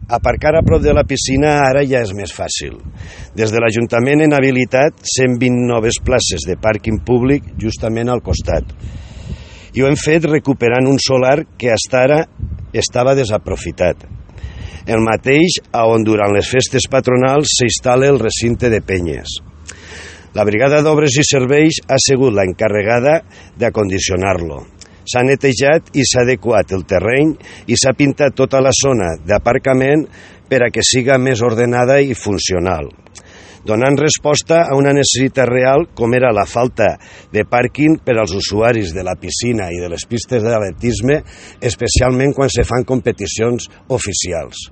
Aparcar a prop de la piscina ara ja és més fàcil. Des de l'Ajuntament hem habilitat 120 noves places de pàrquing públic justament al costat. I ho hem fet recuperant un solar que fins ara estava desaprofitat. El mateix on durant les festes patronals s'instal·la el recinte de penyes. La Brigada d'Obres i Serveis ha sigut l'encarregada d'acondicionar-lo. S'ha netejat i s'ha adequat el terreny i s'ha pintat tota la zona d'aparcament per a que siga més ordenada i funcional, donant resposta a una necessitat real com era la falta de pàrquing per als usuaris de la piscina i de les pistes d'atletisme, especialment quan se fan competicions oficials.